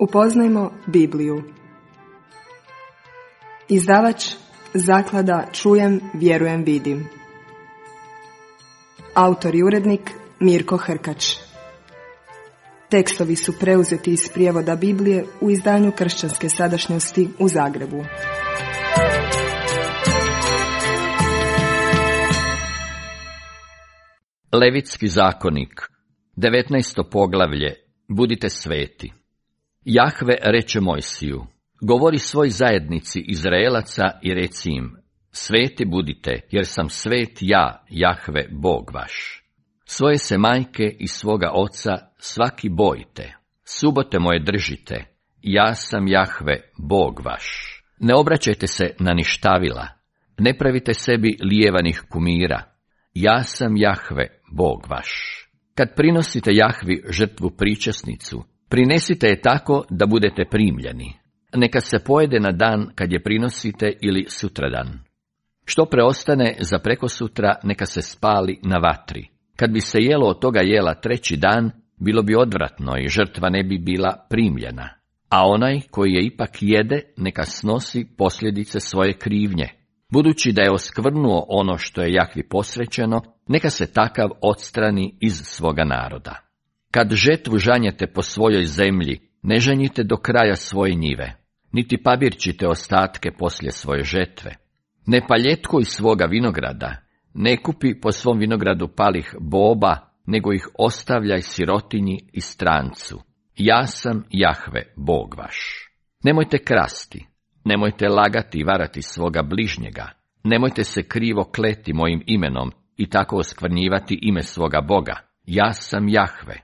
Upoznajmo Bibliju. Izdavač Zaklada Čujem, vjerujem, vidim. Autor i urednik Mirko Hrkač. Tekstovi su preuzeti iz prijevoda Biblije u izdanju Kršćanske sadašnjosti u Zagrebu. Levitski zakonik, 19. poglavlje, budite sveti. Jahve reče Mojsiju, govori svoj zajednici Izraelaca i reci im, sveti budite, jer sam svet ja, Jahve, Bog vaš. Svoje se majke i svoga oca svaki bojite, subote moje držite, ja sam Jahve, Bog vaš. Ne obraćajte se na ništavila, ne pravite sebi lijevanih kumira, ja sam Jahve, Bog vaš. Kad prinosite Jahvi žrtvu pričesnicu, prinesite je tako da budete primljeni. Neka se pojede na dan kad je prinosite ili sutradan. Što preostane za prekosutra, neka se spali na vatri. Kad bi se jelo od toga jela treći dan, bilo bi odvratno i žrtva ne bi bila primljena. A onaj koji je ipak jede, neka snosi posljedice svoje krivnje. Budući da je oskvrnuo ono što je Jahvi posvećeno, neka se takav odstrani iz svoga naroda. Kad žetvu žanjete po svojoj zemlji, ne žanjite do kraja svoje njive, niti pabirčite ostatke poslije svoje žetve. Ne paljetkuj svoga vinograda, ne kupi po svom vinogradu palih boba, nego ih ostavljaj sirotinji i strancu. Ja sam Jahve, Bog vaš. Nemojte krasti, nemojte lagati i varati svoga bližnjega, nemojte se krivo kleti mojim imenom i tako oskvrnjivati ime svoga Boga. Ja sam Jahve.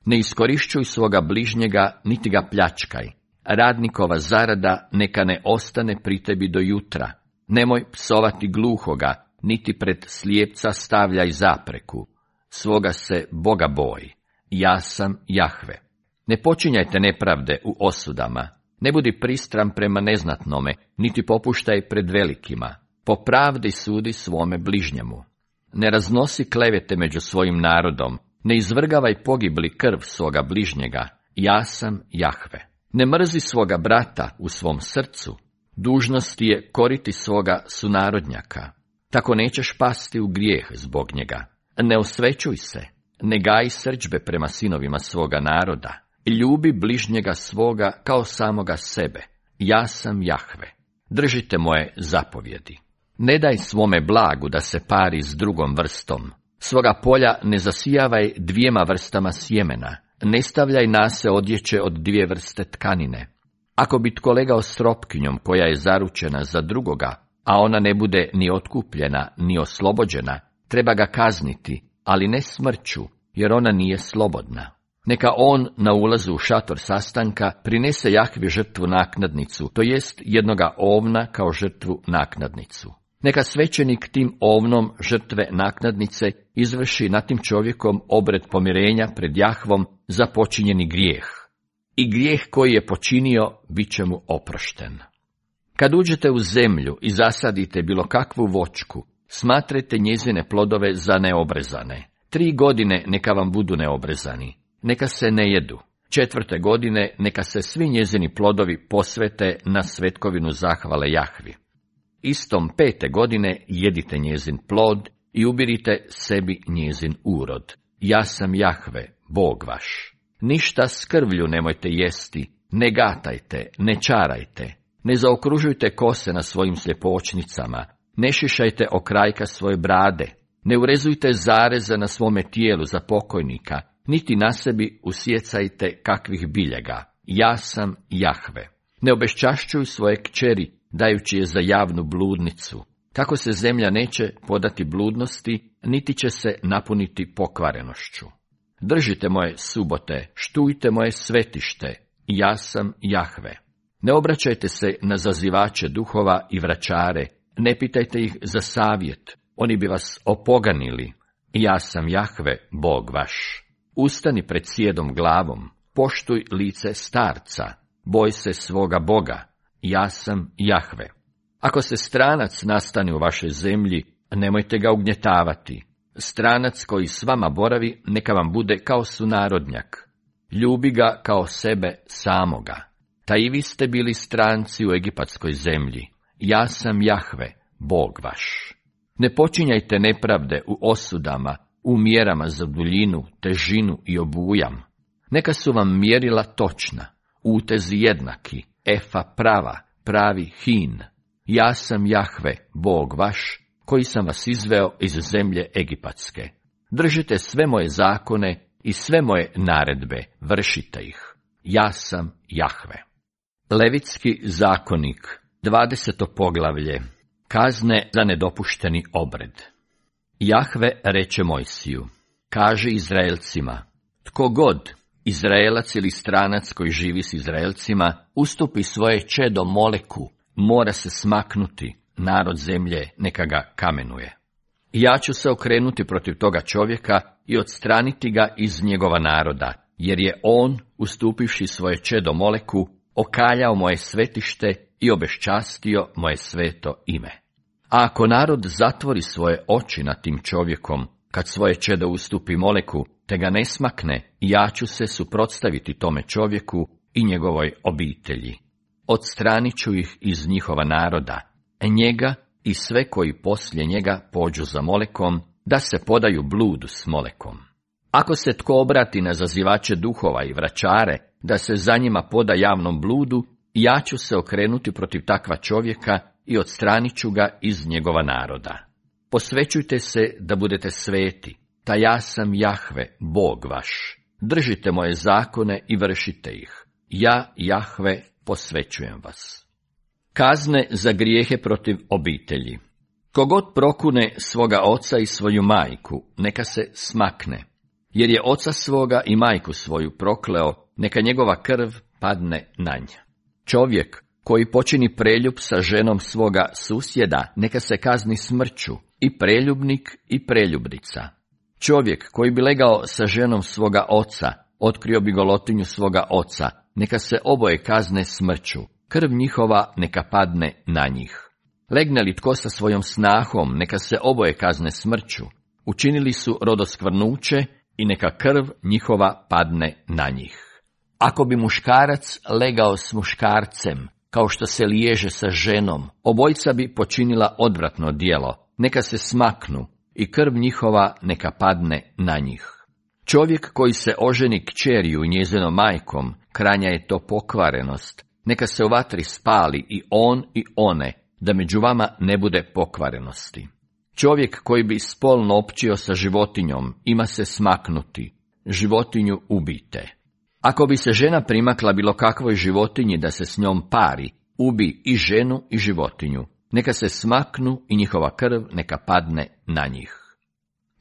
Ne iskorišćuj svoga bližnjega, niti ga pljačkaj. Radnikova zarada neka ne ostane pri tebi do jutra. Nemoj psovati gluhoga, niti pred slijepca stavljaj zapreku. Svoga se Boga boj. Ja sam Jahve. Ne počinjajte nepravde u osudama. Ne budi pristran prema neznatnome, niti popuštaj pred velikima. Po pravdi sudi svome bližnjemu. Ne raznosi klevete među svojim narodom. Ne izvrgavaj pogibli krv svoga bližnjega, ja sam Jahve. Ne mrzi svoga brata u svom srcu, dužnost je koriti svoga sunarodnjaka. Tako nećeš pasti u grijeh zbog njega. Ne osvećuj se, ne gaji srdžbe prema sinovima svoga naroda. Ljubi bližnjega svoga kao samoga sebe. Ja sam Jahve. Držite moje zapovjedi. Ne daj svome blagu da se pari s drugom vrstom. Svoga polja ne zasijavaj dvijema vrstama sjemena, ne stavljaj nase odjeće od dvije vrste tkanine. Ako bi tko legao s tropkinjom koja je zaručena za drugoga, a ona ne bude ni otkupljena, ni oslobođena, treba ga kazniti, ali ne smrću, jer ona nije slobodna. Neka on na ulazu u šator sastanka prinese Jahvi žrtvu naknadnicu, to jest jednoga ovna kao žrtvu naknadnicu. Neka svećenik tim ovnom žrtve naknadnice izvrši nad tim čovjekom obred pomirenja pred Jahvom za počinjeni grijeh. I grijeh koji je počinio bit će mu oprošten. Kad uđete u zemlju i zasadite bilo kakvu voćku, smatrajte njezine plodove za neobrezane. 3 godine neka vam budu neobrezani, neka se ne jedu. 4. godine neka se svi njezini plodovi posvete na svetkovinu zahvale Jahvi. Istom 5. godine jedite njezin plod i ubirite sebi njezin urod. Ja sam Jahve, Bog vaš. Ništa s krvlju nemojte jesti, ne gatajte, ne čarajte, ne zaokružujte kose na svojim sljepočnicama, ne šišajte okrajka svoje brade, ne urezujte zareze na svome tijelu za pokojnika, niti na sebi usjecajte kakvih biljega. Ja sam Jahve. Ne obeščašćuj svoje kćeri, dajući je za javnu bludnicu. Tako se zemlja neće podati bludnosti, niti će se napuniti pokvarenošću. Držite moje subote, štujte moje svetište, ja sam Jahve. Ne obraćajte se na zazivače duhova i vračare, ne pitajte ih za savjet, oni bi vas opoganili. Ja sam Jahve, Bog vaš. Ustani pred sjedom glavom, poštuj lice starca, boj se svoga Boga. Ja sam Jahve. Ako se stranac nastane u vašoj zemlji, nemojte ga ugnjetavati. Stranac koji s vama boravi, neka vam bude kao sunarodnjak. ljubi ga kao sebe samoga. Ta i vi ste bili stranci u egipatskoj zemlji. Ja sam Jahve, Bog vaš. Ne počinjajte nepravde u osudama, u mjerama za duljinu, težinu i obujam. Neka su vam mjerila točna, utezi jednaki, efa prava, pravi hin. Ja sam Jahve, Bog vaš, koji sam vas izveo iz zemlje egipatske. Držite sve moje zakone i sve moje naredbe, vršite ih. Ja sam Jahve. Levitski zakonik, 20. poglavlje. Kazne za nedopušteni obred. Jahve reče Mojsiju, kaži Izraelcima, tko god, Izraelac ili stranac koji živi s Izraelcima, ustupi svoje čedo Moleku, mora se smaknuti, narod zemlje neka ga kamenuje. Ja ću se okrenuti protiv toga čovjeka i odstraniti ga iz njegova naroda, jer je on, ustupivši svoje čedo Moleku, okaljao moje svetište i obeščastio moje sveto ime. A ako narod zatvori svoje oči nad tim čovjekom, kad svoje čedo ustupi Moleku, te ga ne smakne, ja ću se suprotstaviti tome čovjeku i njegovoj obitelji. Odstranit ću ih iz njihova naroda, njega i sve koji poslije njega pođu za Molekom, da se podaju bludu s Molekom. Ako se tko obrati na zazivače duhova i vračare, da se za njima poda javnom bludu, ja ću se okrenuti protiv takva čovjeka i odstranit ću ga iz njegova naroda. Posvećujte se da budete sveti, ta ja sam Jahve, Bog vaš. Držite moje zakone i vršite ih. Ja, Jahve, posvećujem vas. Kazne za grijehe protiv obitelji. Kogod prokune svoga oca i svoju majku, neka se smakne, jer je oca svoga i majku svoju prokleo, neka njegova krv padne na nj. Čovjek koji počini preljub sa ženom svoga susjeda, neka se kazni smrću, i preljubnik i preljubnica. Čovjek koji bi legao sa ženom svoga oca, otkrio bi golotinju svoga oca, neka se oboje kazne smrću, krv njihova neka padne na njih. Legne li tko sa svojom snahom, neka se oboje kazne smrću, učinili su rodoskvrnuće i neka krv njihova padne na njih. Ako bi muškarac legao s muškarcem, kao što se liježe sa ženom, obojica bi počinila odvratno djelo, neka se smaknu i krv njihova neka padne na njih. Čovjek koji se oženi kćeriju njezinom majkom, kranja je to pokvarenost, neka se u vatri spali i on i one, da među vama ne bude pokvarenosti. Čovjek koji bi spolno općio sa životinjom, ima se smaknuti, životinju ubijte. Ako bi se žena primakla bilo kakvoj životinji da se s njom pari, ubi i ženu i životinju, neka se smaknu i njihova krv neka padne na njih.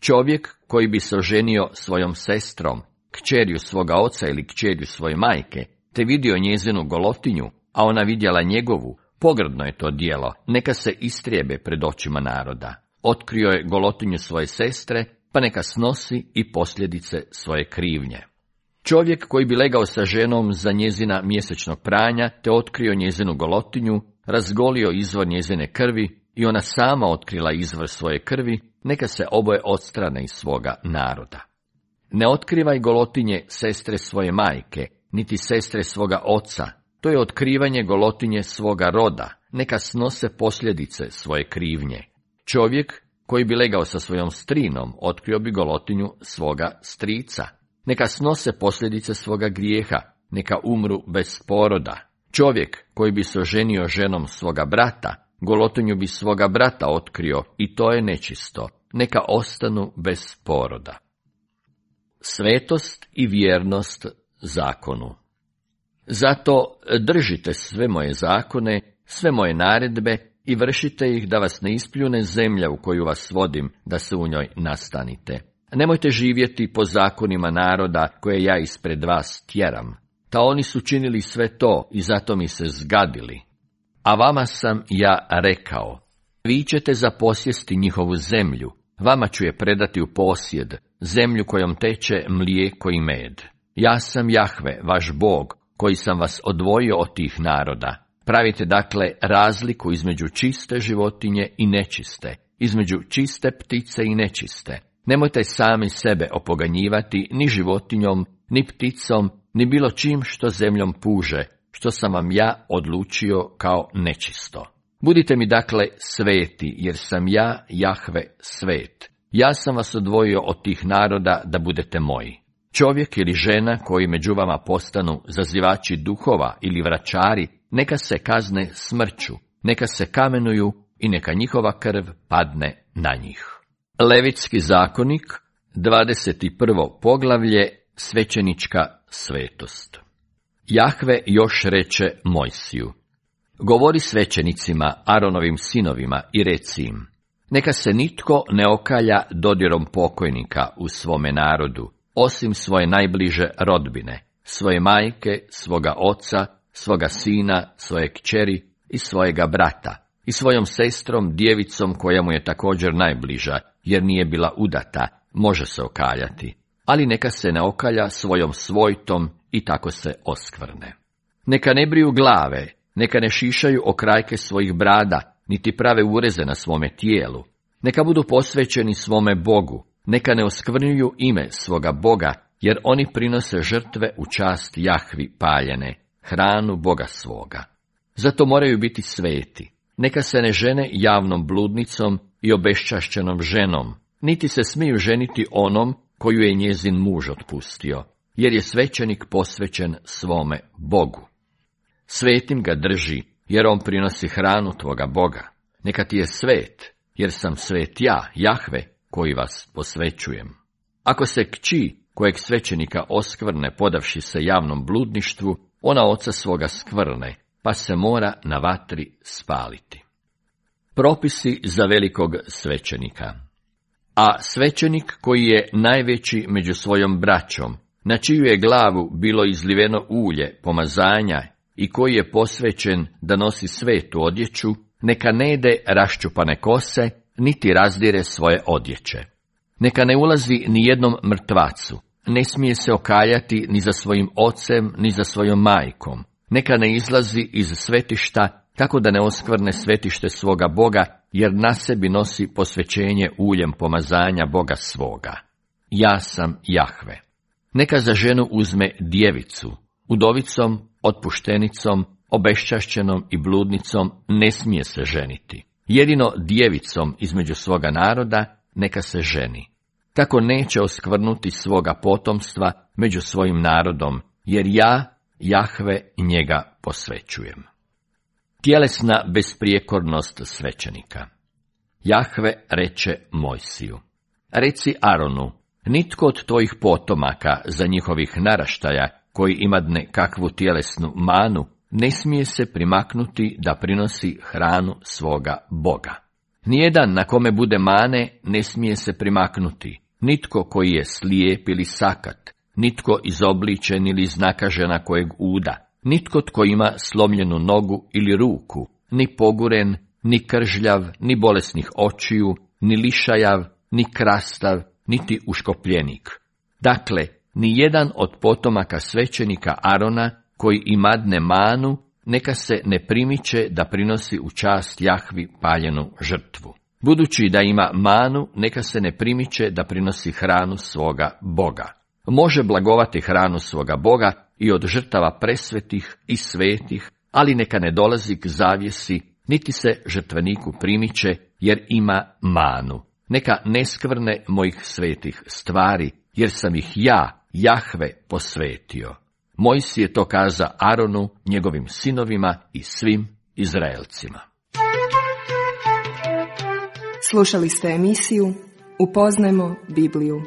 Čovjek koji bi se oženio svojom sestrom, kćerju svoga oca ili kćerju svoje majke, te vidio njezinu golotinju, a ona vidjela njegovu, pogrdno je to djelo, neka se istrijebe pred očima naroda. Otkrio je golotinju svoje sestre, pa neka snosi i posljedice svoje krivnje. Čovjek koji bi legao sa ženom za njezina mjesečnog pranja, te otkrio njezinu golotinju, razgolio izvor njezine krvi i ona sama otkrila izvor svoje krvi, neka se oboje odstrane iz svoga naroda. Ne otkrivaj golotinje sestre svoje majke, niti sestre svoga oca, to je otkrivanje golotinje svoga roda, neka snose posljedice svoje krivnje. Čovjek koji bi legao sa svojom strinom, otkrio bi golotinju svoga strica, neka snose posljedice svoga grijeha, neka umru bez poroda. Čovjek koji bi se oženio ženom svoga brata, golotinju bi svoga brata otkrio i to je nečisto, neka ostanu bez poroda. Svetost i vjernost zakonu. Zato držite sve moje zakone, sve moje naredbe i vršite ih da vas ne ispljune zemlja u koju vas vodim, da se u njoj nastanite. Nemojte živjeti po zakonima naroda koje ja ispred vas tjeram. Ta oni su činili sve to i zato mi se zgadili. A vama sam ja rekao, vi ćete zaposjesti njihovu zemlju, vama ću je predati u posjed, zemlju kojom teče mlijeko i med. Ja sam Jahve, vaš Bog, koji sam vas odvojio od tih naroda. Pravite dakle razliku između čiste životinje i nečiste, između čiste ptice i nečiste. Nemojte sami sebe opoganjivati ni životinjom, ni pticom, ni bilo čim što zemljom puže, što sam vam ja odlučio kao nečisto. Budite mi dakle sveti, jer sam ja, Jahve, svet. Ja sam vas odvojio od tih naroda da budete moji. Čovjek ili žena koji među vama postanu zazivači duhova ili vračari, neka se kazne smrću, neka se kamenuju i neka njihova krv padne na njih. Levitski zakonik, 21. poglavlje, svećenička svetost. Jahve još reče Mojsiju: govori svećenicima, Aronovim sinovima, i reci im: neka se nitko ne okalja dodirom pokojnika u svome narodu, osim svoje najbliže rodbine, svoje majke, svoga oca, svoga sina, svoje kćeri i svojega brata, i svojom sestrom, djevicom koja mu je također najbliža, jer nije bila udata, može se okaljati, ali neka se ne okalja svojom svojtom i tako se oskvrne. Neka ne briju glave, neka ne šišaju okrajke svojih brada, niti prave ureze na svome tijelu. Neka budu posvećeni svome Bogu, neka ne oskvrnjuju ime svoga Boga, jer oni prinose žrtve u čast Jahvi paljene, hranu Boga svoga. Zato moraju biti sveti. Neka se ne žene javnom bludnicom i obeščašćenom ženom, niti se smiju ženiti onom koju je njezin muž otpustio, jer je svećenik posvećen svome Bogu. Svetim ga drži, jer on prinosi hranu tvoga Boga. Neka ti je svet, jer sam svet ja, Jahve, koji vas posvećujem. Ako se kći kojeg svećenika oskvrne podavši se javnom bludništvu, ona oca svoga skvrne, pa se mora na vatri spaliti. Propisi za velikog svećenika. A svećenik koji je najveći među svojom braćom, na čiju je glavu bilo izliveno ulje, pomazanja, i koji je posvećen da nosi svetu odjeću, neka ne jede raščupane kose, niti razdire svoje odjeće. Neka ne ulazi ni jednom mrtvacu, ne smije se okaljati ni za svojim ocem, ni za svojom majkom. Neka ne izlazi iz svetišta, tako da ne oskvrne svetište svoga Boga, jer na sebi nosi posvećenje uljem pomazanja Boga svoga. Ja sam Jahve. Neka za ženu uzme djevicu, udovicom, otpuštenicom, obeščašćenom i bludnicom ne smije se ženiti. Jedino djevicom između svoga naroda neka se ženi. Tako neće oskvrnuti svoga potomstva među svojim narodom, jer ja, Jahve, njega posvećujem. Tjelesna besprijekornost svećenika. Jahve reče Mojsiju: reci Aronu, nitko od tvojih potomaka za njihovih naraštaja, koji imadne kakvu tjelesnu manu, ne smije se primaknuti da prinosi hranu svoga Boga. Nijedan na kome bude mane ne smije se primaknuti, nitko koji je slijep ili sakat, nitko izobličen ili iznakažena kojeg uda, nitko tko ima slomljenu nogu ili ruku, ni poguren, ni kržljav, ni bolesnih očiju, ni lišajav, ni krastav, niti uškopljenik. Dakle, ni jedan od potomaka svećenika Arona koji imadne manu, neka se ne primiče da prinosi u čast Jahvi paljenu žrtvu. Budući da ima manu, neka se ne primiče da prinosi hranu svoga Boga. Može blagovati hranu svoga Boga i od žrtava presvetih i svetih, ali neka ne dolazi k zavjesi, niti se žrtveniku primiče, jer ima manu. Neka ne skvrne mojih svetih stvari, jer sam ih ja, Jahve, posvetio. Mojsije je to kaza Aronu, njegovim sinovima i svim Izraelcima. Slušali ste emisiju Upoznajmo Bibliju.